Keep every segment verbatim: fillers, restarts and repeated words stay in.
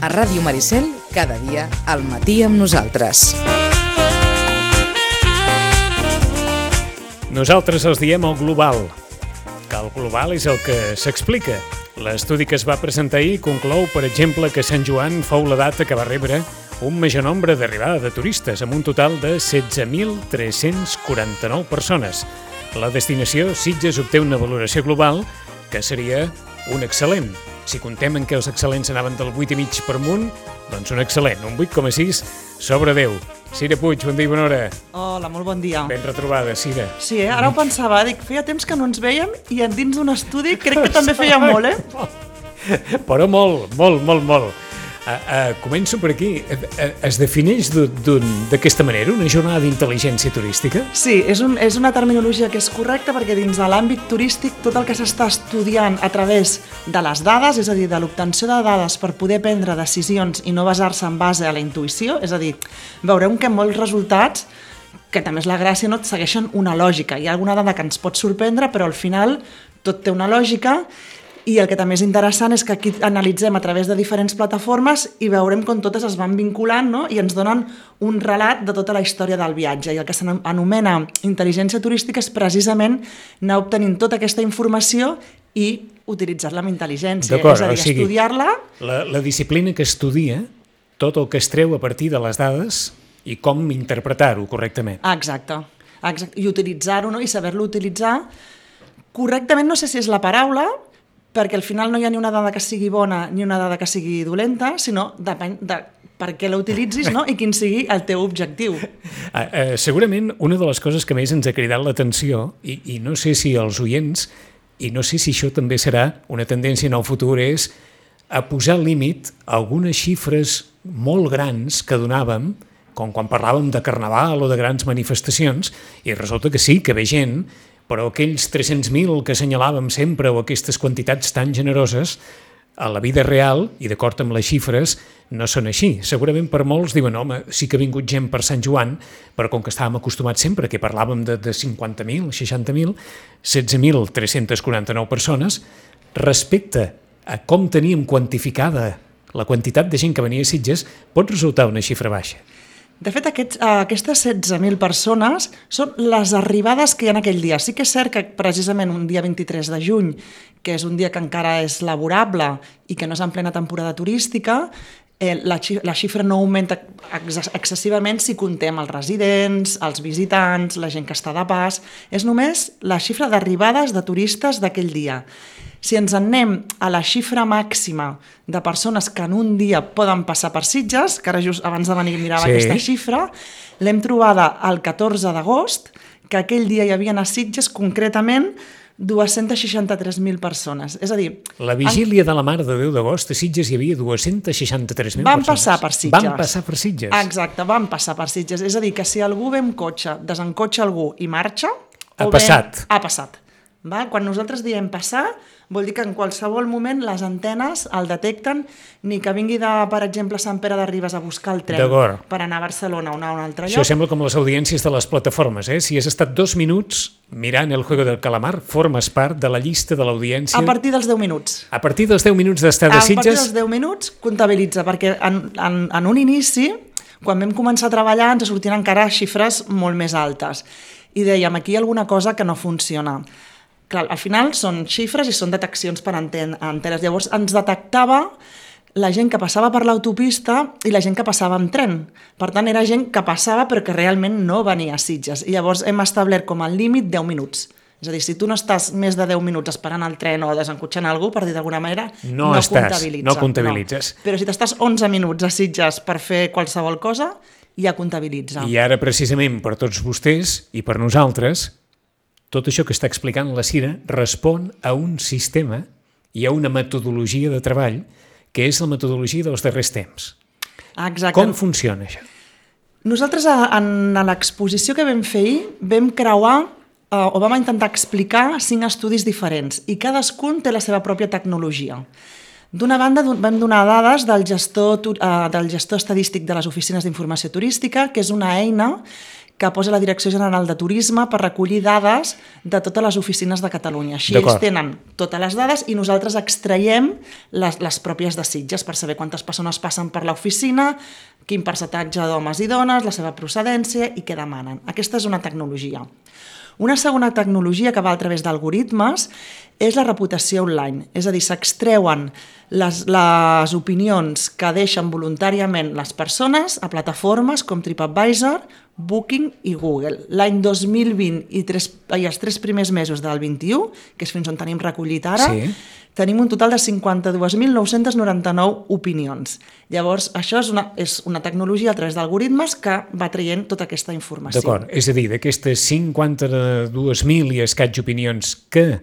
A Ràdio Maricel, cada dia al matí amb nosaltres. Nosaltres els diem el global, que el global és el que s'explica. L'estudi que es va presentar ahir conclou, per exemple, que Sant Joan fou la data que va rebre un major nombre d'arribada de turistes, amb un total de setze mil tres-cents quaranta-nou persones. La destinació Sitges obté una valoració global que seria un excel·lent. Si contem en què els excel·lents anaven del vuit coma cinc per amunt, doncs un excel·lent, un vuit coma sis sobre deu. Cira Puig, bon dia i bona hora. Hola, molt bon dia. Ben retrobada, Cira. Sí, eh? Ara ho pensava, dic, feia temps que no ens veiem i dins d'un estudi crec que també feia molt, eh? Però molt, molt, molt, molt. Uh, uh, començo per aquí. Uh, uh, es defineix d'aquesta manera una jornada d'intel·ligència turística? Sí, és, un, és una terminologia que és correcta perquè dins de l'àmbit turístic tot el que s'està estudiant a través de les dades, és a dir, de l'obtenció de dades per poder prendre decisions i no basar-se en base a la intuïció, és a dir, veurem que molts resultats, que també és la gràcia, no, segueixen una lògica. Hi ha alguna dada que ens pot sorprendre, però al final tot té una lògica. I el que també és interessant és que aquí analitzem a través de diferents plataformes i veurem com totes es van vinculant, no? I ens donen un relat de tota la història del viatge. I el que s'anomena intel·ligència turística és precisament anar obtenint tota aquesta informació i utilitzar-la amb intel·ligència. És a dir, o sigui, estudiar-la... La, la disciplina que estudia tot el que es treu a partir de les dades i com interpretar-ho correctament. Exacte. Exacte. I utilitzar-ho, no? I saber-lo utilitzar correctament, no sé si és la paraula, perquè al final no hi ha ni una dada que sigui bona ni una dada que sigui dolenta, sinó depèn de per què la utilitzis, no? I quin sigui el teu objectiu. Uh, uh, segurament una de les coses que més ens ha cridat l'atenció, i, i no sé si els oients, i no sé si això també serà una tendència en el futur, és a posar límit a algunes xifres molt grans que donàvem, com quan parlàvem de carnaval o de grans manifestacions, i resulta que sí, que ve gent, però aquells tres-cents mil que assenyalàvem sempre o aquestes quantitats tan generoses, a la vida real, i d'acord amb les xifres, no són així. Segurament per molts diuen, home, sí que ha vingut gent per Sant Joan, però com que estàvem acostumats sempre, que parlàvem de, de cinquanta mil, seixanta mil, setze mil tres-cents quaranta-nou persones, respecte a com teníem quantificada la quantitat de gent que venia a Sitges, pot resultar una xifra baixa. De fet, aquests, aquestes setze mil persones són les arribades que hi ha aquell dia. Sí que és cert que precisament un dia vint-i-tres de juny, que és un dia que encara és laborable i que no és en plena temporada turística, eh, la, la xifra no augmenta ex excessivament si contem els residents, els visitants, la gent que està de pas. És només la xifra d'arribades de turistes d'aquell dia. Si ens en anem a la xifra màxima de persones que en un dia poden passar per Sitges, que ara just abans de venir mirava sí. Aquesta xifra, l'hem trobada el catorze d'agost, que aquell dia hi havia a Sitges concretament dos-cents seixanta-tres mil persones. És a dir... La vigília en... de la Mare de Déu d'agost a Sitges hi havia dos-cents seixanta-tres mil persones. Van passar per Sitges. Van passar per Sitges. Exacte, van passar per Sitges. És a dir, que si algú ve amb cotxe, desencotxa algú i marxa... Ha passat. Ha passat. Va? Quan nosaltres diem passar, vol dir que en qualsevol moment les antenes el detecten, ni que vingui de, per exemple, Sant Pere de Ribes a buscar el tren per anar a Barcelona o anar a un altre lloc. Això sembla com les audiències de les plataformes, eh? Si has estat dos minuts mirant El Juego del Calamar, formes part de la llista de l'audiència... A partir dels deu minuts. A partir dels deu minuts d'estar de Sitges... A partir dels deu minuts comptabilitza, perquè en, en, en un inici, quan vam començar a treballar, ens sortien encara xifres molt més altes. I dèiem, aquí hi ha alguna cosa que no funciona. Clar, al final són xifres i són deteccions per antenes. Llavors ens detectava la gent que passava per l'autopista i la gent que passava amb tren. Per tant, era gent que passava però que realment no venia a Sitges. I llavors hem establert com a límit deu minuts. És a dir, si tu no estàs més de deu minuts esperant el tren o desencotxant algú, per dir d'alguna manera, no, no estàs, comptabilitza. No comptabilitzes. No. Però si t'estàs onze minuts a Sitges per fer qualsevol cosa, ja comptabilitza. I ara, precisament, per tots vostès i per nosaltres, tot això que està explicant la Cira respon a un sistema i a una metodologia de treball que és la metodologia dels darrers temps. Exacte. Com funciona això? Nosaltres en l'exposició que vam fer ahir vam creuar eh, o vam intentar explicar cinc estudis diferents i cadascun té la seva pròpia tecnologia. D'una banda vam donar dades del gestor, eh, del gestor estadístic de les oficines d'informació turística, que és una eina que posa la Direcció General de Turisme per recollir dades de totes les oficines de Catalunya. Així ells tenen totes les dades i nosaltres extraiem les, les pròpies de Sitges per saber quantes persones passen per l'oficina, quin percentatge d'homes i dones, la seva procedència i què demanen. Aquesta és una tecnologia. Una segona tecnologia que va a través d'algoritmes és la reputació online, és a dir, s'extreuen les, les opinions que deixen voluntàriament les persones a plataformes com TripAdvisor, Booking i Google. L'any dos mil vint i, tres, i els tres primers mesos del vint-i-u, que és fins on tenim recollit ara, sí. Tenim un total de cinquanta-dos mil nou-cents noranta-nou opinions. Llavors, això és una, és una tecnologia a través d'algoritmes que va traient tota aquesta informació. D'acord, és a dir, d'aquestes cinquanta-dos mil i escaig opinions que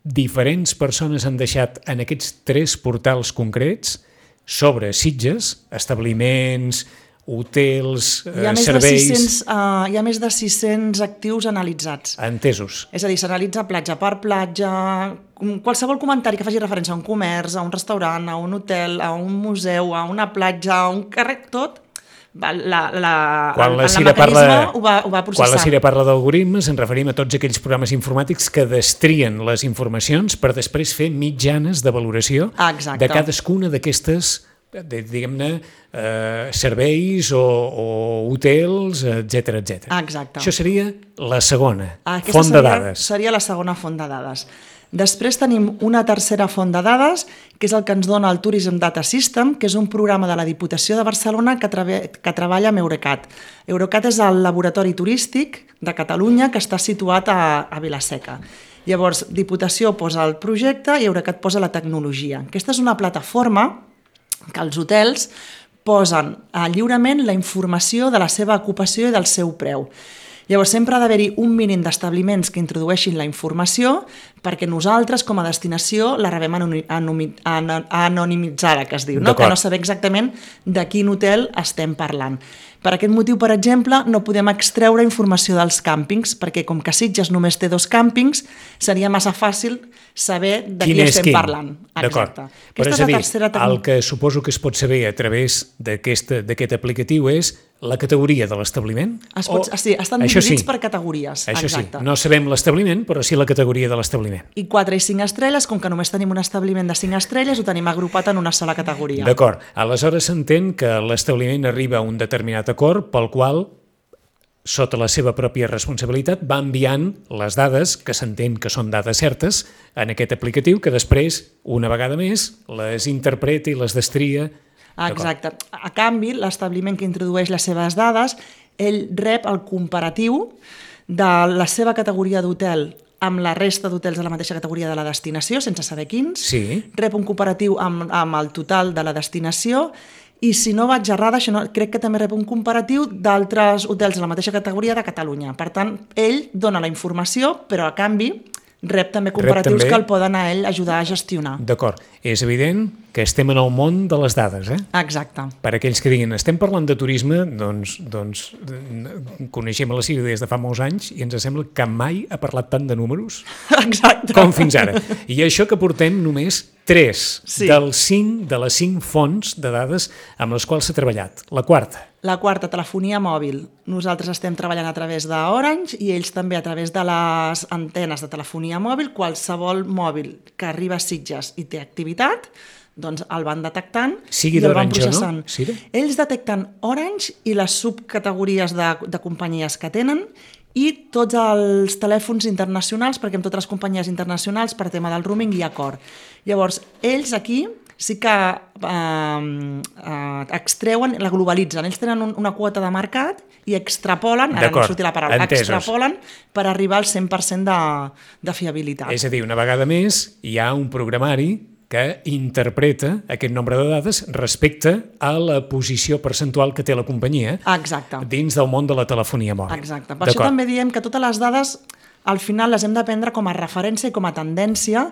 diferents persones han deixat en aquests tres portals concrets sobre Sitges, establiments, hotels, hi ha serveis... sis cents, uh, hi ha més de sis-cents actius analitzats. Entesos. És a dir, s'analitza platja per platja, qualsevol comentari que faci referència a un comerç, a un restaurant, a un hotel, a un museu, a una platja, a un carrer, tot, la, la, quan la el, el parla, ho va, ho va processant. Quan la Cira parla d'algoritmes ens referim a tots aquells programes informàtics que destrien les informacions per després fer mitjanes de valoració Exacte. De cadascuna d'aquestes de, diguem-ne, eh, serveis o, o hotels, etcètera, etcètera. Exacte. Això seria la segona Aquesta font seria, de dades. Seria la segona font de dades. Després tenim una tercera font de dades, que és el que ens dona el Tourism Data System, que és un programa de la Diputació de Barcelona que, que treballa amb Eurecat. Eurecat és el laboratori turístic de Catalunya que està situat a, a Vila-seca. Llavors, Diputació posa el projecte i Eurecat posa la tecnologia. Aquesta és una plataforma que els hotels posen lliurement la informació de la seva ocupació i del seu preu. Llavors, sempre ha d'haver-hi un mínim d'establiments que introdueixin la informació perquè nosaltres, com a destinació, la rebem anonimitzada, que es diu, no? Que no sabem exactament de quin hotel estem parlant. Per aquest motiu, per exemple, no podem extreure informació dels càmpings, perquè com que Sitges només té dos càmpings, seria massa fàcil saber de qui estem quin? parlant. D'acord. Però és a dir, el que suposo que es pot saber a través d'aquest aplicatiu és la categoria de l'establiment? O... Sí, estan dividits sí. per categories. Això Exacte. sí, no sabem l'establiment, però sí la categoria de l'establiment. I quatre i cinc estrelles, com que només tenim un establiment de cinc estrelles, ho tenim agrupat en una sola categoria. D'acord. Aleshores s'entén que l'establiment arriba a un determinat acord pel qual, sota la seva pròpia responsabilitat, va enviant les dades, que s'entén que són dades certes, en aquest aplicatiu, que després, una vegada més, les interpreta i les destria. Exacte. A canvi, l'establiment que introdueix les seves dades, ell rep el comparatiu de la seva categoria d'hotel amb la resta d'hotels de la mateixa categoria de la destinació, sense saber quins. Sí. Rep un comparatiu amb, amb el total de la destinació i, si no vaig errada, això no, crec que també rep un comparatiu d'altres hotels de la mateixa categoria de Catalunya. Per tant, ell dona la informació, però a canvi rep també comparatius rep també... que el poden a ell ajudar a gestionar. D'acord. És evident que estem en el món de les dades, eh? Exacte. Per aquells que diguin, estem parlant de turisme, doncs, doncs coneixem la Cira des de fa molts anys i ens sembla que mai ha parlat tant de números Exacte. com fins ara. I això que portem només tres sí. dels cinc, de les cinc fonts de dades amb les quals s'ha treballat. La quarta. La quarta, telefonia mòbil. Nosaltres estem treballant a través d'Orange i ells també a través de les antenes de telefonia mòbil. Qualsevol mòbil que arriba a Sitges i té activitat, doncs el van detectant Sigui i el van d'Orange, processant. No? Sí, ells detecten Orange i les subcategories de, de companyies que tenen i tots els telèfons internacionals, perquè amb totes les companyies internacionals per tema del roaming hi ha acord. Llavors, ells aquí sí que eh, eh, extreuen, la globalitzen. Ells tenen un, una quota de mercat i extrapolen, ara no surti la paraula, entesos. extrapolen per arribar al cent per cent de, de fiabilitat. És a dir, una vegada més, hi ha un programari que interpreta aquest nombre de dades respecte a la posició percentual que té la companyia Exacte. dins del món de la telefonia mòbil. Exacte. Per això també diem que totes les dades al final les hem de prendre com a referència i com a tendència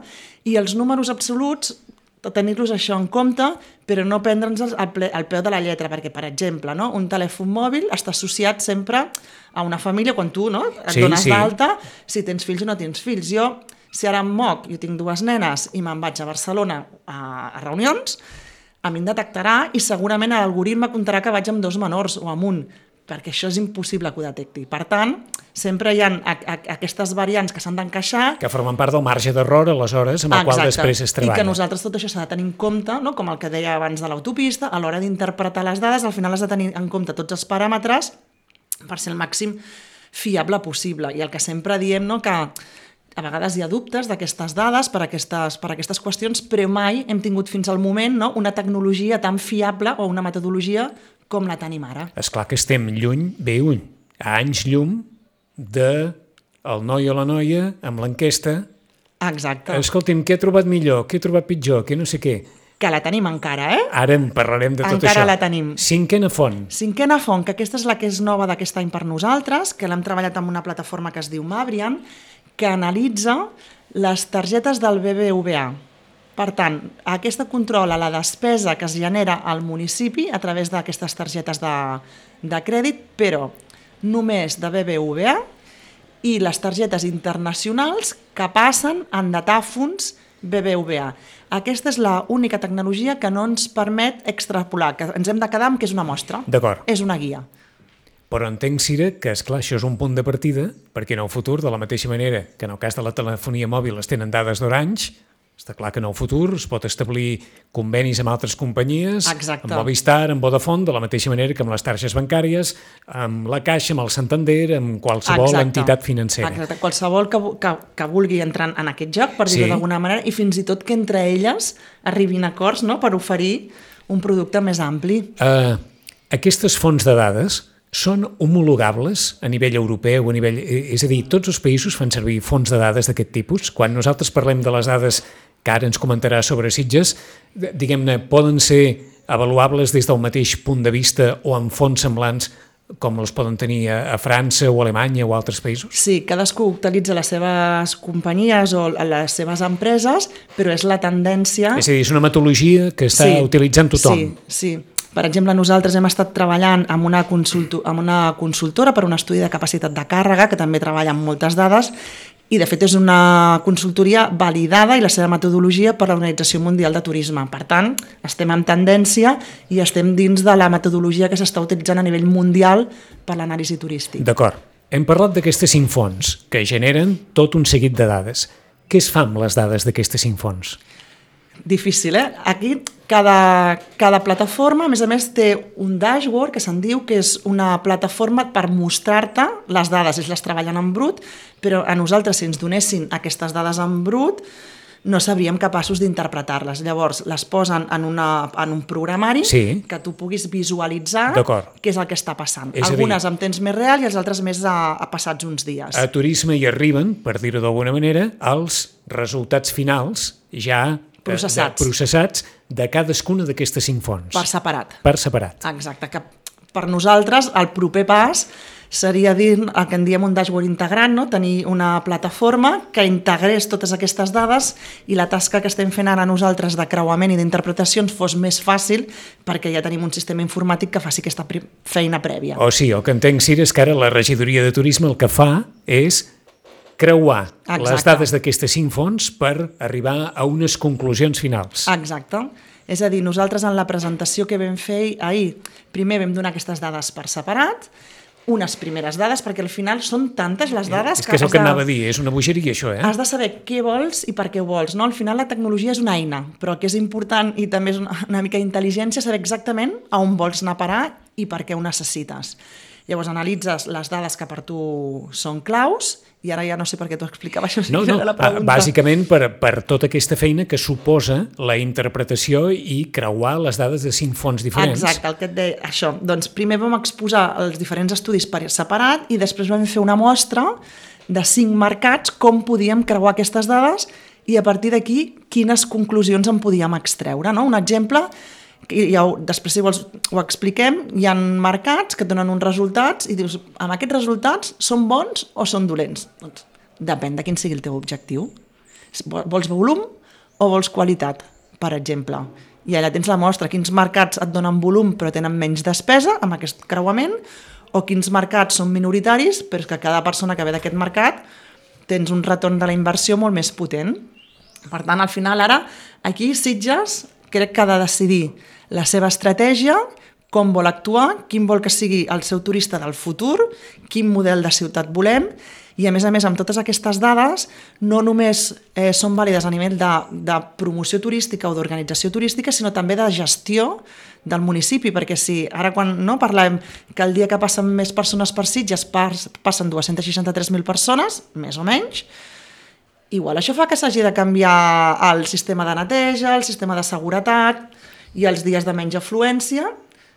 i els números absoluts tenir-los això en compte, però no prendre'ns al, ple, al peu de la lletra, perquè, per exemple, no, un telèfon mòbil està associat sempre a una família, quan tu no, et sí, dones sí. d'alta, si tens fills o no tens fills. Jo, si ara em moc, jo tinc dues nenes i me'n vaig a Barcelona a, a reunions, a mi em detectarà i segurament l'algoritme comptarà que vaig amb dos menors o amb un, perquè això és impossible que ho detecti. Per tant, sempre hi ha a, a, aquestes variants que s'han d'encaixar... Que formen part del marge d'error, aleshores, amb el Exacte. qual després es treballa. I que nosaltres tot això s'ha de tenir en compte, no? Com el que deia abans de l'autopista, a l'hora d'interpretar les dades, al final has de tenir en compte tots els paràmetres per ser el màxim fiable possible. I el que sempre diem, no? Que a vegades hi ha dubtes d'aquestes dades per aquestes, per aquestes qüestions, però mai hem tingut fins al moment, no? Una tecnologia tan fiable o una metodologia com la tenim ara. És clar que estem lluny, bé lluny, a anys llum de el noi o la noia amb l'enquesta. Exacte. Escolti'm, què he trobat millor, què he trobat pitjor, què no sé què. Que la tenim encara, eh? Ara en parlarem de tot encara això. Encara la tenim. Cinquena font. Cinquena font, que aquesta és la que és nova d'aquest any per nosaltres, que l'hem treballat amb una plataforma que es diu Mabrian, que analitza les targetes del B B V A. Per tant, aquesta controla la despesa que es genera al municipi a través d'aquestes targetes de, de crèdit, però només de B B V A i les targetes internacionals que passen en datàfons B B V A. Aquesta és l'única tecnologia que no ens permet extrapolar, que ens hem de quedar amb que és una mostra. D'acord. És una guia. Però entenc, Cira, que esclar, això és un punt de partida, perquè en el futur, de la mateixa manera que en el cas de la telefonia mòbil es tenen dades d'Orange, està clar que en el futur es pot establir convenis amb altres companyies, Exacte. amb Movistar, amb Vodafone, de la mateixa manera que amb les targes bancàries, amb la Caixa, amb el Santander, amb qualsevol Exacte. entitat financera. Exacte. Qualsevol que, que, que vulgui entrar en aquest joc, per dir-ho Sí. d'alguna manera, i fins i tot que entre elles arribin a acords, no?, per oferir un producte més ampli. Uh, aquestes fonts de dades són homologables a nivell europeu, a nivell, és a dir, tots els països fan servir fonts de dades d'aquest tipus. Quan nosaltres parlem de les dades que ara ens comentarà sobre Sitges, diguem-ne, poden ser avaluables des del mateix punt de vista o amb fonts semblants com els poden tenir a, a França o a Alemanya o a altres països? Sí, cadascú utilitza les seves companyies o les seves empreses, però és la tendència... És a dir, és una metodologia que està sí, utilitzant tothom. Sí, sí. Per exemple, nosaltres hem estat treballant amb una, consulto, amb una consultora per un estudi de capacitat de càrrega, que també treballa amb moltes dades, i de fet és una consultoria validada i la seva metodologia per l'Organització Mundial de Turisme. Per tant, estem en tendència i estem dins de la metodologia que s'està utilitzant a nivell mundial per l'anàlisi turístic. D'acord. Hem parlat d'aquestes cinc fonts que generen tot un seguit de dades. Què es fa amb les dades d'aquestes cinc fonts? Difícil, eh? Aquí cada, cada plataforma, a més a més, té un dashboard que se'n diu que és una plataforma per mostrar-te les dades. Ells les treballen en brut, però a nosaltres, si ens donessin aquestes dades en brut, no sabríem capaços d'interpretar-les. Llavors, les posen en, una, en un programari sí. que tu puguis visualitzar què és el que està passant. És Algunes dir, amb temps més real i els altres més a, a passats uns dies. A turisme hi arriben, per dir-ho d'alguna manera, els resultats finals ja processats. De, processats de cadascuna d'aquestes cinc fonts. Per separat. Per separat. Exacte, que per nosaltres el proper pas seria dir el que en diem un dashboard integrat, no? Tenir una plataforma que integrés totes aquestes dades i la tasca que estem fent ara nosaltres de creuament i d'interpretacions fos més fàcil perquè ja tenim un sistema informàtic que faci aquesta feina prèvia. O sí, el que entenc, Cira, és que ara la regidoria de turisme el que fa és creuar Exacte. les dades d'aquestes cinc fonts per arribar a unes conclusions finals. Exacte. És a dir, nosaltres en la presentació que vam fer ahir, primer vam donar aquestes dades per separat, unes primeres dades, perquè al final són tantes les dades... És que és el que anava a dir, és una bogeria això, eh? Has de saber què vols i per què ho vols, no? Al final la tecnologia és una eina, però el que és important i també és una, una mica d'intel·ligència saber exactament a on vols anar a parar i per què ho necessites. Llavors analitzes les dades que per tu són claus i ara ja no sé per què t'ho explicava això. No, no, la pregunta. Bàsicament per, per tota aquesta feina que suposa la interpretació i creuar les dades de cinc fonts diferents. Exacte, el que et deia, això. Doncs primer vam exposar els diferents estudis per separat i després vam fer una mostra de cinc mercats, com podíem creuar aquestes dades i a partir d'aquí quines conclusions en podíem extreure. No? Un exemple... I ja ho, després si vols ho expliquem, hi ha mercats que et donen uns resultats i dius, amb aquests resultats són bons o són dolents? Doncs depèn de quin sigui el teu objectiu. Vols volum o vols qualitat, per exemple? I allà tens la mostra, quins mercats et donen volum però tenen menys despesa amb aquest creuament o quins mercats són minoritaris però que cada persona que ve d'aquest mercat tens un retorn de la inversió molt més potent. Per tant, al final ara, aquí Sitges crec que ha de decidir la seva estratègia, com vol actuar, quin vol que sigui el seu turista del futur, quin model de ciutat volem, i a més a més amb totes aquestes dades no només eh, són vàlides a nivell de, de promoció turística o d'organització turística, sinó també de gestió del municipi, perquè si ara quan no, parlem que el dia que passen més persones per Sitges pas, passen dues-centes seixanta-tres mil persones, més o menys, igual això fa que s'hagi de canviar el sistema de neteja, el sistema de seguretat i els dies de menys afluència,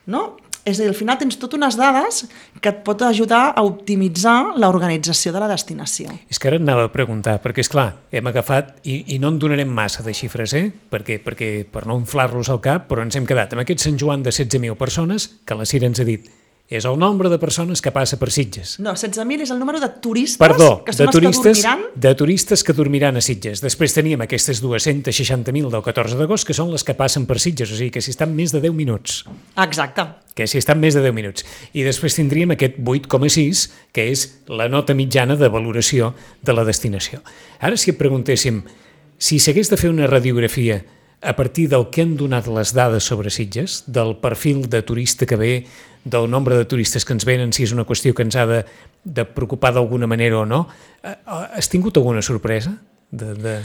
no? És a dir, al final tens totes unes dades que et pot ajudar a optimitzar l'organització de la destinació. És que ara et anava a preguntar, perquè és clar, hem agafat, i, i no en donarem massa de xifres, eh? perquè, perquè per no inflar-los al cap, però ens hem quedat amb aquest Sant Joan de setze mil persones, que la Cira ens ha dit, és el nombre de persones que passa per Sitges. No, setze mil és el número de turistes Perdó, que són de turistes, els que dormiran. de turistes que dormiran a Sitges. Després teníem aquestes dues-centes seixanta mil del catorze d'agost, que són les que passen per Sitges, o sigui que si estan més de deu minuts. Exacte. Que si estan més de deu minuts. I després tindríem aquest vuit coma sis, que és la nota mitjana de valoració de la destinació. Ara, si et preguntéssim, si s'hagués de fer una radiografia a partir del que han donat les dades sobre Sitges, del perfil de turista que ve, del nombre de turistes que ens venen, si és una qüestió que ens ha de, de preocupar d'alguna manera o no, has tingut alguna sorpresa? De, de...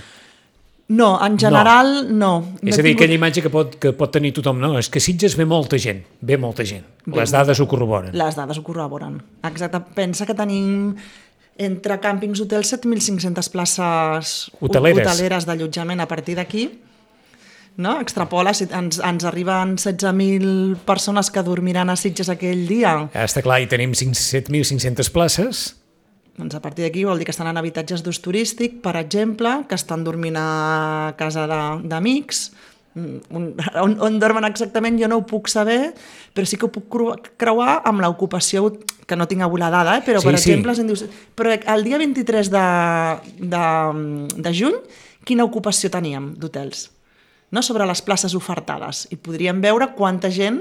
No, en general no. no. És a dir, tingut... aquella imatge que pot, que pot tenir tothom, no, és que Sitges ve molta gent, ve molta gent. Bé, les dades ho corroboren. Les dades ho corroboren. Exacte. Pensa que tenim entre càmpings, hotels, set mil cinc-centes places hoteleres, hoteleres d'allotjament a partir d'aquí. No? Extrapola, si ens, ens arriben setze mil persones que dormiran a Sitges aquell dia. Ja està clar, i tenim set mil cinc-centes places. Doncs a partir d'aquí vol dir que estan en habitatges d'ús turístic, per exemple, que estan dormint a casa d'amics. On, on, on dormen exactament jo no ho puc saber, però sí que ho puc creuar amb l'ocupació, que no tinc avui la dada, eh? però sí, per sí. exemple, em dius, però el dia vint-i-tres de, de, de juny, quina ocupació teníem d'hotels? No? Sobre les places ofertades, i podríem veure quanta gent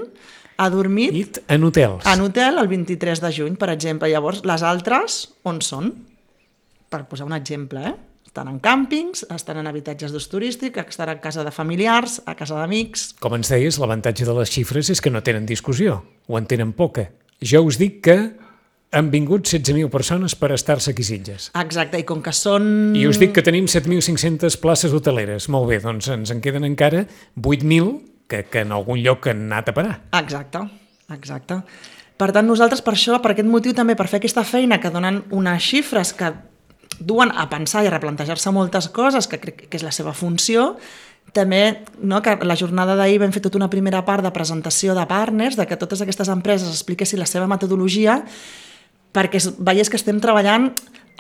ha dormit It en hotels. En hotel el vint-i-tres de juny, per exemple. Llavors, les altres, on són? Per posar un exemple, eh? Estan en càmpings, estan en habitatges d'ús turístic, estan a casa de familiars, a casa d'amics... Com ens deies, l'avantatge de les xifres és que no tenen discussió, o en tenen poca. Jo us dic que han vingut setze mil persones per estar-se aquí a Sitges. Exacte, i com que són... I us dic que tenim set mil cinc-centes places hoteleres. Molt bé, doncs ens en queden encara vuit mil que, que en algun lloc han anat a parar. Exacte, exacte. Per tant, nosaltres per això, per aquest motiu també, per fer aquesta feina que donen unes xifres que duen a pensar i a replantejar-se moltes coses, que crec que és la seva funció, també, no, que la jornada d'ahir vam fer tota una primera part de presentació de partners, de que totes aquestes empreses expliquessin la seva metodologia, perquè veies que estem treballant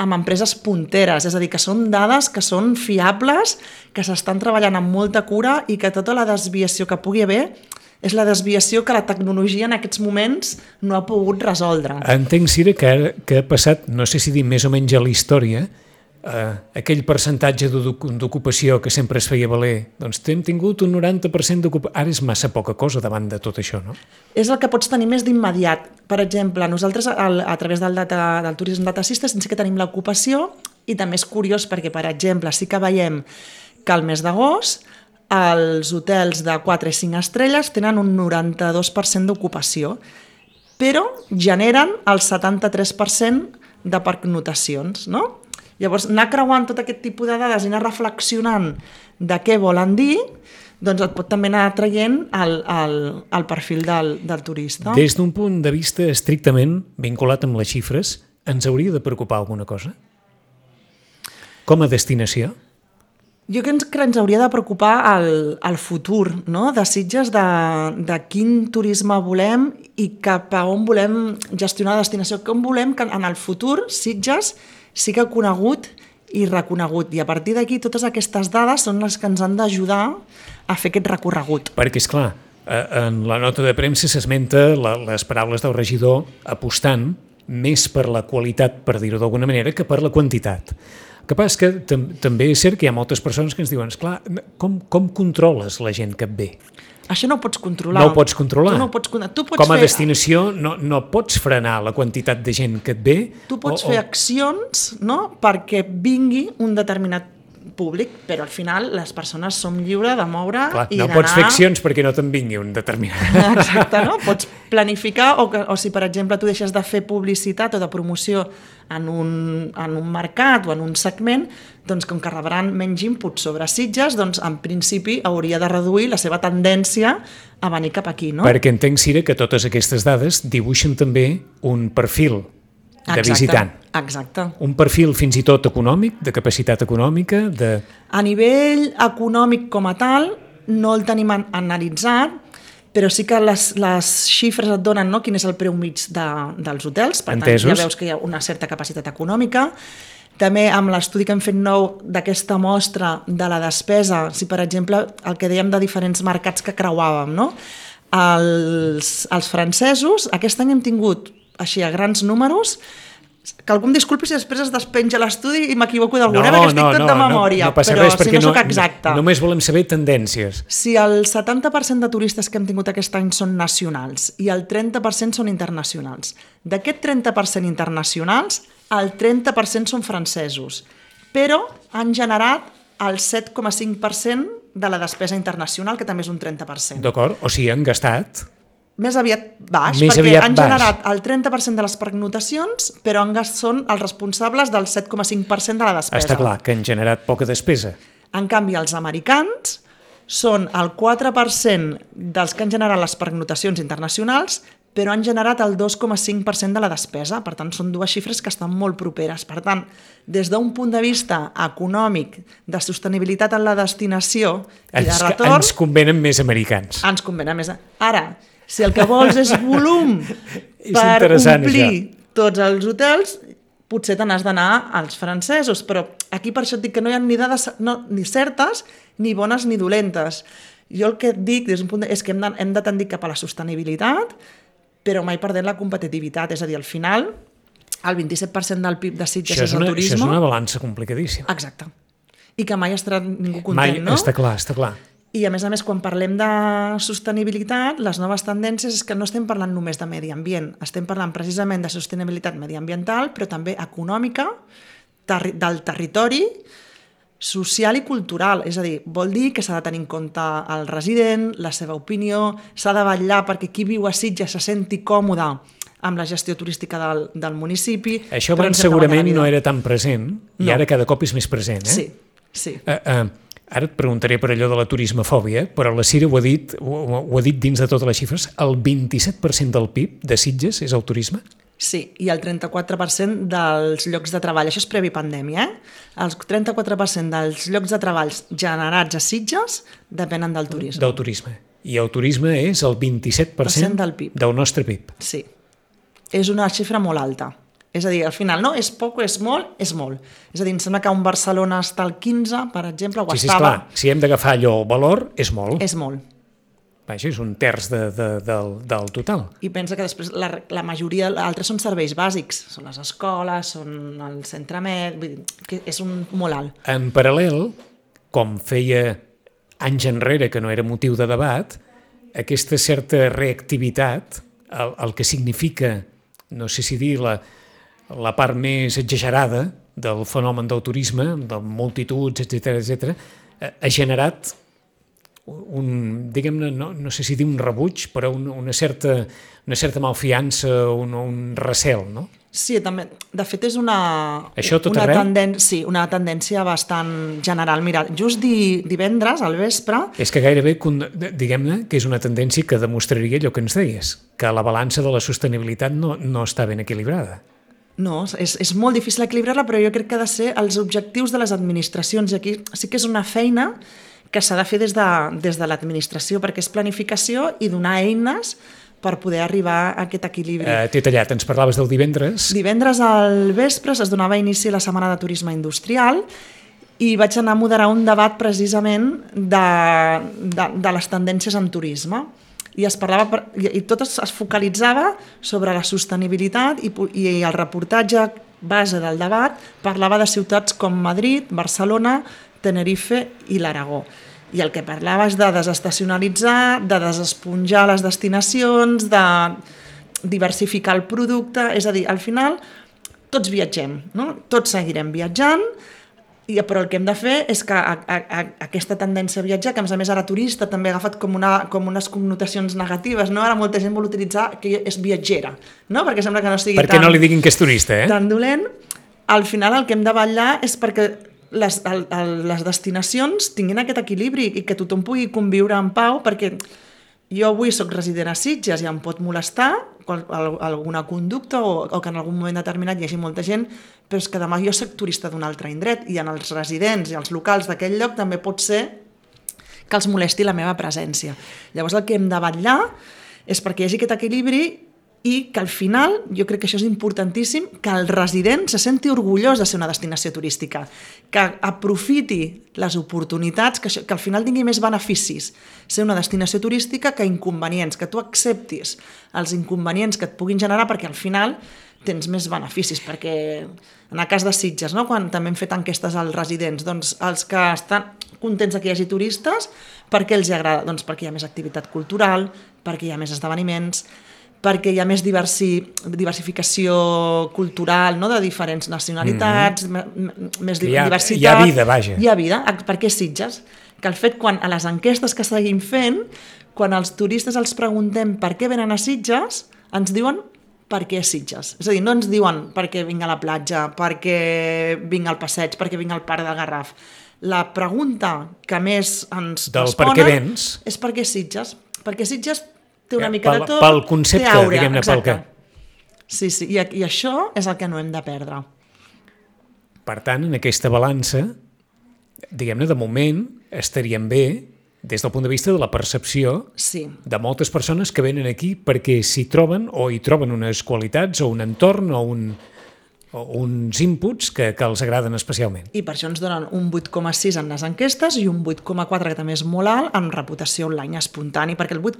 amb empreses punteres, és a dir, que són dades que són fiables, que s'estan treballant amb molta cura i que tota la desviació que pugui haver és la desviació que la tecnologia en aquests moments no ha pogut resoldre. Entenc, Cira, que, que ha passat, no sé si dir més o menys a la història, eh, aquell percentatge d'ocupació que sempre es feia valer, doncs hem tingut un noranta per cent d'ocupació. Ara és massa poca cosa davant de tot això, no? És el que pots tenir més d'immediat. Per exemple, nosaltres al, a través del, data, del Tourism Data System sí que tenim l'ocupació, i també és curiós perquè, per exemple, sí que veiem que al mes d'agost els hotels de quatre i cinc estrelles tenen un noranta-dos per cent d'ocupació, però generen el setanta-tres per cent de pernotacions, no? Llavors, anar creuant tot aquest tipus de dades i anar reflexionant de què volen dir, doncs et pot també anar traient el, el, el perfil del, del turista. Des d'un punt de vista estrictament vinculat amb les xifres, ens hauria de preocupar alguna cosa? Com a destinació? Jo crec que ens hauria de preocupar el, el futur, no? De Sitges, de, de quin turisme volem i cap a on volem gestionar la destinació, com volem que en el futur Sitges sigui conegut i reconegut. I a partir d'aquí totes aquestes dades són les que ens han d'ajudar a fer aquest recorregut. Perquè, esclar, en la nota de premsa s'esmenta les paraules del regidor apostant més per la qualitat, per dir-ho d'alguna manera, que per la quantitat. El que passa és que tam també és cert que hi ha moltes persones que ens diuen, esclar, com, com controles la gent que et ve? Això no ho pots controlar. No ho pots controlar. Tu no ho pots, tu pots Com a fer... destinació no, no pots frenar la quantitat de gent que et ve. Tu pots o, fer o... accions, no?, perquè vingui un determinat públic, però al final les persones som lliures de moure Clar, i no d'anar... pots fer accions perquè no te'n vingui un determinat. Exacte, no? Pots planificar o, que, o si, per exemple, tu deixes de fer publicitat o de promoció en un, en un mercat o en un segment, doncs com que rebran menys input sobre Sitges, doncs en principi hauria de reduir la seva tendència a venir cap aquí, no? Perquè entenc, Sira, que totes aquestes dades dibuixen també un perfil de Exacte, visitant. Exacte. Un perfil fins i tot econòmic, de capacitat econòmica, de... A nivell econòmic com a tal, no el tenim an analitzat, però sí que les, les xifres et donen, no?, quin és el preu mig de, dels hotels, per Entesos. tant ja veus que hi ha una certa capacitat econòmica. També amb l'estudi que hem fet nou d'aquesta mostra de la despesa, si per exemple el que dèiem de diferents mercats que creuàvem, no? Els, els francesos, aquest any hem tingut així a grans números, que algú em disculpi si després es despenja l'estudi i m'equivoco d'alguna, no, perquè estic no, tot no, de memòria, no, no passa però res, si no no, soc exacta. Només volem saber tendències. Si el setanta per cent de turistes que hem tingut aquest any són nacionals i el trenta per cent són internacionals, d'aquest trenta per cent internacionals, el trenta per cent són francesos, però han generat el set coma cinc per cent de la despesa internacional, que també és un trenta per cent. D'acord? O sigui, han gastat... Més aviat baix, Més perquè aviat han baix. generat el trenta per cent de les pernotacions, però han són els responsables del set coma cinc per cent de la despesa. Està clar que han generat poca despesa. En canvi, els americans són el quatre per cent dels que han generat les pernotacions internacionals, però han generat el dos coma cinc per cent de la despesa. Per tant, són dues xifres que estan molt properes. Per tant, des d'un punt de vista econòmic, de sostenibilitat en la destinació i de Ens, retorn... ens convenen més americans. Ens convenen més... Ara, si el que vols és volum És per interessant, omplir això. tots els hotels, potser te n'has d'anar als francesos, però aquí per això et dic que no hi ha ni dades no, ni certes, ni bones ni dolentes. Jo el que et dic des d'un punt de, és que hem de, hem de tendir cap a la sostenibilitat, però mai perdent la competitivitat. És a dir, al final, el vint-i-set per cent del P I B de Sitges Això és és, el una, turisme. això és una balança complicadíssima. Exacte. I que mai estarà ningú content, Mai, no? està clar, està clar. I a més a més, quan parlem de sostenibilitat, les noves tendències és que no estem parlant només de medi ambient, estem parlant precisament de sostenibilitat mediambiental, però també econòmica, terri del territori, social i cultural. És a dir, vol dir que s'ha de tenir en compte el resident, la seva opinió, s'ha de vetllar perquè qui viu a Sitges se senti còmode amb la gestió turística del, del municipi. Això abans segurament no era tan present i No. ara cada cop és més present. Eh? Sí, sí. Uh, uh, ara et preguntaré per allò de la turismofòbia, però la Cira ho ha dit, ho, ho ha dit dins de totes les xifres, el vint-i-set per cent del P I B de Sitges és el turisme? Sí, i el trenta-quatre per cent dels llocs de treball, això és previ pandèmia, eh? El trenta-quatre per cent dels llocs de treball generats a Sitges depenen del turisme. Del turisme. I el turisme és el vint-i-set per cent del P I B. del nostre P I B. Sí, és una xifra molt alta. És a dir, al final, no, és poc, és molt, és molt. És a dir, em sembla que un Barcelona està al quinze, per exemple, o Sí, sí, estava... esclar, si hem d'agafar allò el valor, és molt. És molt. Vaja, és un terç de, de, del, del total. I pensa que després la, la majoria, altres són serveis bàsics, són les escoles, són el centre mèdic, vull dir, que és un molt alt. En paral·lel, com feia anys enrere, que no era motiu de debat, aquesta certa reactivitat, el, el que significa, no sé si dir, la, la part més exagerada del fenomen del turisme, de multituds, etcètera, etcètera, ha generat un, diguem-ne, no, no sé si dir un rebuig, però una, una, certa, una certa malfiança, un, un recel, no? Sí, també. De fet, és una, Això tot una, arreu? tenden sí, una tendència bastant general. Mira, just di, divendres, al vespre... És que gairebé, diguem-ne, que és una tendència que demostraria allò que ens deies, que la balança de la sostenibilitat no, no està ben equilibrada. No, és, és molt difícil equilibrar-la, però jo crec que ha de ser els objectius de les administracions. I aquí sí que és una feina que s'ha de fer des de, des de l'administració, perquè és planificació i donar eines per poder arribar a aquest equilibri. Eh, T'he tallat, ens parlaves del divendres. Divendres al vespre es donava inici a la Setmana de Turisme Industrial i vaig anar a moderar un debat precisament de, de, de les tendències en turisme. I es parlava, i tot es focalitzava sobre la sostenibilitat i, i el reportatge base del debat parlava de ciutats com Madrid, Barcelona, Tenerife i l'Aragó. I el que parlava és de desestacionalitzar, de desesponjar les destinacions, de diversificar el producte, és a dir, al final tots viatgem, no? Tots seguirem viatjant, I, però el que hem de fer és que a, a, a, aquesta tendència a viatjar, que a més a més ara turista també ha agafat com, una, com unes connotacions negatives, no? Ara molta gent vol utilitzar que és viatgera, no? Perquè sembla que no sigui perquè tan, no li diguin que és turista, eh? tan dolent. Al final el que hem de vetllar és perquè les, el, el, les destinacions tinguin aquest equilibri i que tothom pugui conviure en pau, perquè jo avui soc resident a Sitges i em pot molestar qual, alguna conducta o, o que en algun moment determinat hi hagi molta gent, però és que demà jo soc turista d'un altre indret i en els residents i els locals d'aquell lloc també pot ser que els molesti la meva presència. Llavors el que hem de vetllar és perquè hi hagi aquest equilibri i que al final, jo crec que això és importantíssim, que el resident se senti orgullós de ser una destinació turística, que aprofiti les oportunitats, que, això, que al final tingui més beneficis ser una destinació turística que inconvenients, que tu acceptis els inconvenients que et puguin generar perquè al final tens més beneficis, perquè en el cas de Sitges, no? Quan també hem fet enquestes als residents, doncs els que estan contents que hi hagi turistes, per què els agrada? Doncs perquè hi ha més activitat cultural, perquè hi ha més esdeveniments, perquè hi ha més diversi, diversificació cultural, no? De diferents nacionalitats, mm-hmm. més hi ha, diversitat. Hi ha vida, vaja. Hi ha vida. Per què Sitges? Que el fet, quan a les enquestes que seguim fent, quan els turistes els preguntem per què venen a Sitges, ens diuen per què Sitges. És a dir, no ens diuen per què vinc a la platja, per què vinc al passeig, per què vinc al parc del Garraf. La pregunta que més ens del responen per què vens és per què Sitges. Perquè Sitges té una mica pel, de tot, pel concepte, té aure, diguem-ne, pel que. Sí, sí, i, i això és el que no hem de perdre. Per tant, en aquesta balança, diguem-ne, de moment, estaríem bé des del punt de vista de la percepció sí. de moltes persones que venen aquí perquè s'hi troben o hi troben unes qualitats o un entorn o, un, o uns inputs que, que els agraden especialment. I per això ens donen un vuit coma sis en les enquestes i un vuit coma quatre, que també és molt alt, en reputació online espontani, perquè el vuit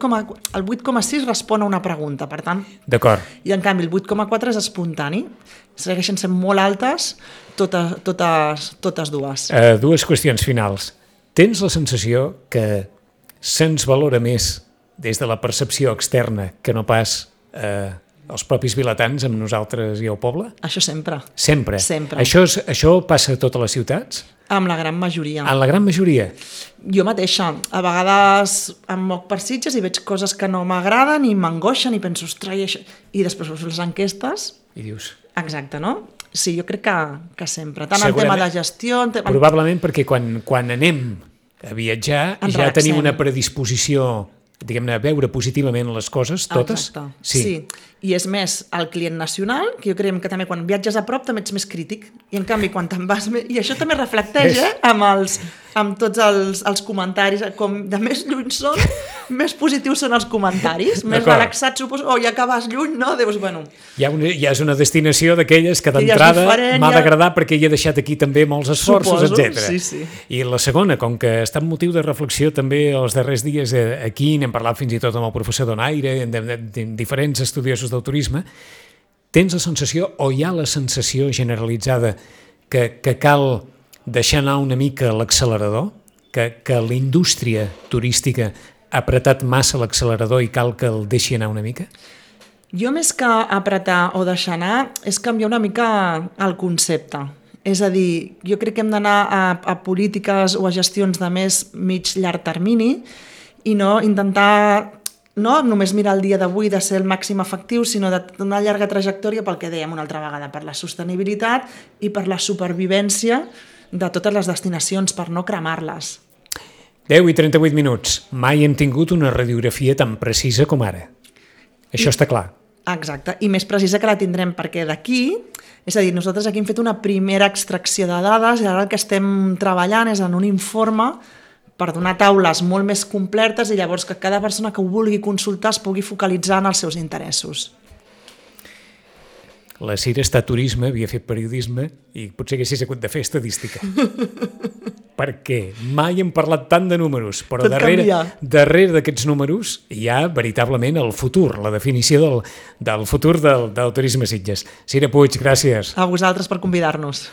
coma sis respon a una pregunta, per tant... D'acord. I en canvi el vuit coma quatre és espontani. Segueixen sent molt altes totes, totes, totes dues. Uh, dues qüestions finals. Tens la sensació que se'ns valora més des de la percepció externa que no pas eh, els propis vilatans amb nosaltres i el poble? Això sempre. Sempre? Sempre. Això, és, això passa a totes les ciutats? Amb la gran majoria. En la gran majoria? Jo mateixa. A vegades em moc per Sitges i veig coses que no m'agraden i m'angoixen i penso, ostres, i, això... I després veus les enquestes... I dius... Exacte, no? Sí, jo crec que, que sempre. Tant en tema de gestió... En tema... Probablement perquè quan, quan anem a viatjar en ja relaxem. Tenim una predisposició, diguem-ne, a veure positivament les coses, totes. Exacte. Sí. sí. I és més, el client nacional, que jo creiem que també quan viatges a prop també ets més crític. I en canvi, quan te'n vas... Més... I això també reflecteix, eh? Amb, els, amb tots els, els comentaris. Com de més lluny són, més positius són els comentaris. Més relaxats, suposo. O ja que vas lluny, no? Dius, bueno... Ja, una, ja és una destinació d'aquelles que d'entrada m'ha d'agradar ja... perquè hi he deixat aquí també molts esforços, etcètera. Sí, sí. I la segona, com que està en motiu de reflexió també els darrers dies aquí, n'hem parlat fins i tot amb el professor Donaire, de, de, de diferents estudiosos del turisme, tens la sensació, o hi ha la sensació generalitzada que, que cal deixar anar una mica l'accelerador, que, que la indústria turística ha apretat massa l'accelerador i cal que el deixi anar una mica? Jo més que apretar o deixar anar és canviar una mica el concepte. És a dir, jo crec que hem d'anar a, a polítiques o a gestions de més mig llarg termini i no intentar no només mirar el dia d'avui de ser el màxim efectiu, sinó d'una llarga trajectòria pel que dèiem una altra vegada, per la sostenibilitat i per la supervivència de totes les destinacions, per no cremar-les. deu i trenta-vuit minuts. Mai hem tingut una radiografia tan precisa com ara. Això I, està clar. Exacte, i més precisa que la tindrem perquè d'aquí, és a dir, nosaltres aquí hem fet una primera extracció de dades i ara el que estem treballant és en un informe per donar taules molt més completes i llavors que cada persona que ho vulgui consultar es pugui focalitzar en els seus interessos. La Cira està a turisme, havia fet periodisme i potser haguessis hagut de fer estadística. Perquè mai hem parlat tant de números, però Tot darrere, canvia. darrere d'aquests números hi ha veritablement el futur, la definició del, del futur del, del turisme Sitges. Cira Puig, gràcies. A vosaltres per convidar-nos.